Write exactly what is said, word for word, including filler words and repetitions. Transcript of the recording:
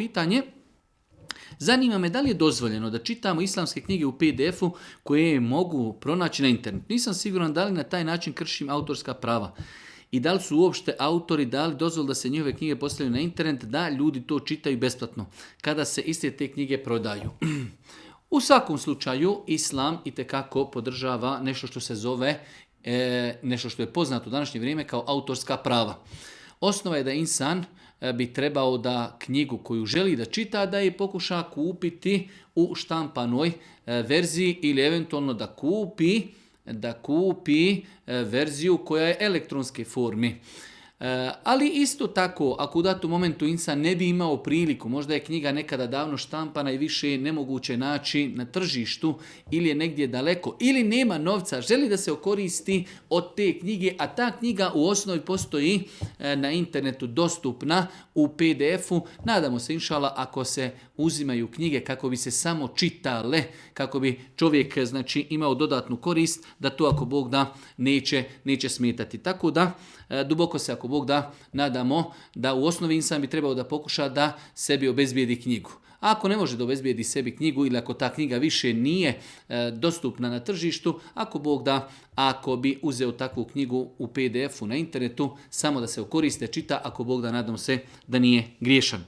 pitanje, zanima me da li je dozvoljeno da čitamo islamske knjige u P D F-u koje mogu pronaći na internetu. Nisam siguran da li na taj način kršim autorska prava. I da li su uopšte autori dali dozvolu da se njihove knjige postavljaju na internet, da ljudi to čitaju besplatno, kada se iste te knjige prodaju. U svakom slučaju, Islam itekako podržava nešto što se zove, e, nešto što je poznato u današnje vrijeme kao autorska prava. Osnova je da insan bi trebao da knjigu koju želi da čita, da je pokuša kupiti u štampanoj verziji ili eventualno da kupi, da kupi verziju koja je elektronske formi. Ali isto tako, ako u datom momentu insan ne bi imao priliku, možda je knjiga nekada davno štampana i više je nemoguće naći na tržištu ili je negdje daleko, ili nema novca, želi da se okoristi od te knjige, a ta knjiga u osnovi postoji na internetu dostupna u P D F-u. Nadamo se, inšala, ako se uzimaju knjige kako bi se samo čitale, kako bi čovjek znači imao dodatnu korist, da to ako Bog da neće, neće smetati. Tako da, duboko se ako Bog da nadamo da u osnovi insan bi trebao da pokuša da sebi obezbijedi knjigu. A ako ne može da obezbijedi sebi knjigu ili ako ta knjiga više nije e, dostupna na tržištu, ako Bog da, ako bi uzeo takvu knjigu u P D F-u na internetu, samo da se okoriste, čita, ako Bog da, nadam se da nije griješan.